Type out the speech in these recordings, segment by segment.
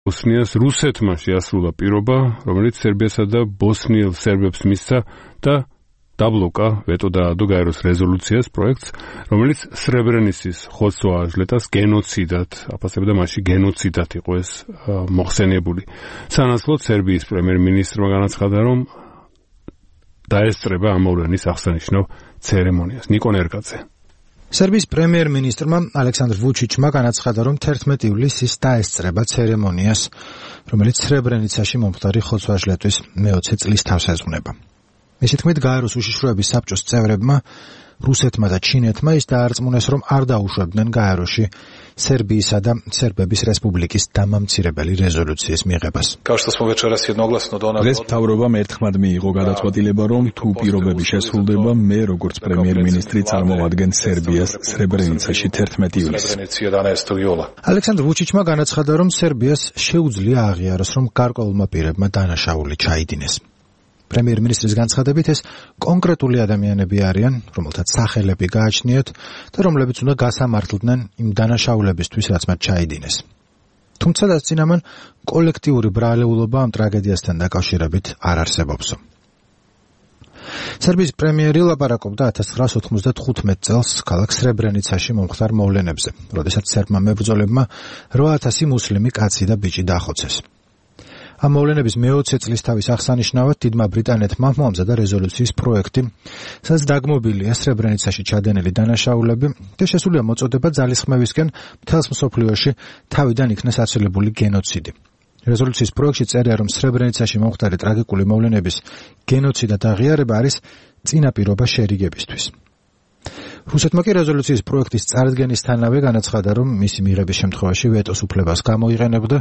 ბოსნიას რუსეთმა შეასრულა პირობა, რომელიც სერბიასა და ბოსნიელ სერბებს მისცა და დაბლოკა ვეტო დაადო გაეროს რეზოლუციას პროექტს, რომელიც სრებრენიცის ხოცვა-აჟლეტას გენოციდად აფასებდა, მასში გენოციდად იყო ეს მოხსენიებული. სანაცვლოდ სერბიის პრემიერ-მინისტრმა განაცხადა, რომ დაესწრება ამ მოვლენის აღსანიშნავ ცერემონიას. ნიკონ ერკაძე. სერბიის პრემიერ-მინისტრმა ალექსანდრ ვუჩიჩმა განაცხადა, რომ 11 ივლისს დაესწრება ცერემონიას, რომელიც სრებრენიცაში მომხდარი ხოცვა-აჟლეტვის მე-20 წლის თავს ეძღვნება. მისი თქმით, გაეროს უშიშროების საბჭოს წევრებმა, რუსეთმა და ჩინეთმა ის დაარწმუნეს, რომ არ დაუშვებდნენ გაეროში სერბიისა და სერბების რესპუბლიკის დამამცირებელი რეზოლუციის მიღებას. დღეს მთავრობამ ერთხმად მიიღო გადაწყვეტილება, რომ თუ პირობები შესრულდება, მე როგორც პრემიერ-მინისტრი წარმოვადგენ სერბიას სრებრენიცაში 11 ივლისს. ალექსანდრ ვუჩიჩმა განაცხადა, რომ სერბიას შეუძლია აღიაროს, რომ გარკვეულმა პირებმა დანაშაული ჩაიდინეს. პრემიერ-მინისტრის განცხადებით, ეს კონკრეტული ადამიანები არიან, რომელთაც სახელები გააჩნიათ და რომლებიც უნდა გასამართლდნენ იმ დანაშაულებისთვის, რაც მათ ჩაიდინეს. თუმცა დასწინამან კოლექტიური ბრალეულობა ამ ტრაგედიასთან დაკავშირებით არ არსებობსო. სერბიის პრემიერი ლაპარაკობდა 1995 წელს ქალაქ სრებრენიცაში მომხდარ მოვლენებზე, როდესაც სერბმა მებრძოლებმა 8000 მუსლიმი კაცი და ბიჭი დახოცეს. ამ მოვლენების მე-20 წლის თავის აღსანიშნავად დიდმა ბრიტანეთმა მოამზადა რეზოლუციის პროექტი, სადაც დაგმობილია სრებრენიცაში ჩადენილი დანაშაულები და შესულია მოწოდება ძალისხმევისკენ მთელს მსოფლიოში თავიდან იქნეს აცილებული გენოციდი. რეზოლუციის პროექტში წერია, რომ სრებრენიცაში მომხდარი ტრაგიკული მოვლენების გენოციდად აღიარება არის წინაპირობა შერიგებისთვის. რუსეთმა კი რეზოლუციის პროექტის წარდგენისთანავე განაცხადა, რომ მისი მიღების შემთხვევაში ვეტოს უფლებას გამოიყენებდა,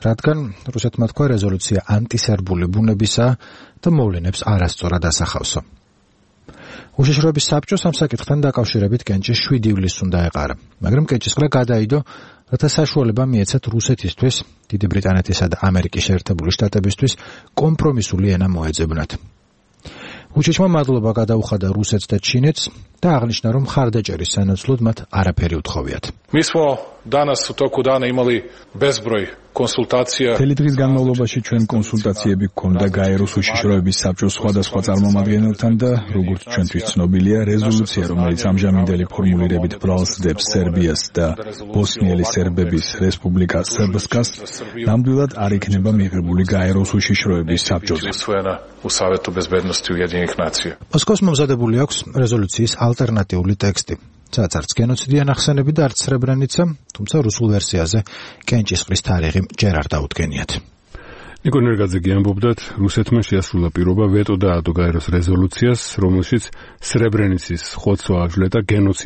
რადგან რუსეთმა თქვა რეზოლუცია ანტისერბული ბუნებისაა და მოვლენებს არასწორად ასახავსო. უშიშროების საბჭოს ამ საკითხთან დაკავშირებით კენჭის 7 ივლისს უნდა ეყარა, მაგრამ კენჭისყრა გადაიდო, რათა საშუალება მიეცათ რუსეთისთვის, დიდი ბრიტანეთისა და ამერიკის შეერთებული შტატებისთვის კომპრომისული ენა მოეძებნათ. ვუჩიჩმა მადლობა გადაუხადა რუსეთს და ჩინეთს და აღნიშნა, რომ მხარდაჭერის სანაცვლოდ მათ არაფერი უთხოვიათ. მთელი დღის განმავლობაში ჩვენ კონსულტაციები გქონდა გაეროს უშიშროების საბჭოს სხვადასხვა წარმომადგენელთან და როგორც ჩვენთვის ცნობილია, რეზოლუცია, რომელიც ამჟამინდელი ფორმულირებით ბრალს დებს სერბიას და ბოსნიელი სერბების რესპუბლიკა სერბსკას, ნამდვილად არ იქნება მიღებული გაეროს უშიშროების საბჭოზე. მოსკოვს მომზადებული აქვს რეზოლუციის ალტერნატიული ტექსტი. სადაც არც გენოციდი ანახსენები და არც სრებრენიცა, თუმცა რუსულ ვერსიაზე კენჭისყრის თარიღი ჯერ არ დაუდგენიათ. ნიკონ ერკაძე ამბობდათ, რუსეთმა შეასრულა პირობა ვეტო დაადო გაეროს რეზოლუციას, რომელშიც სრებრენიცის ხოცვა-აჟლეტა გენოციდად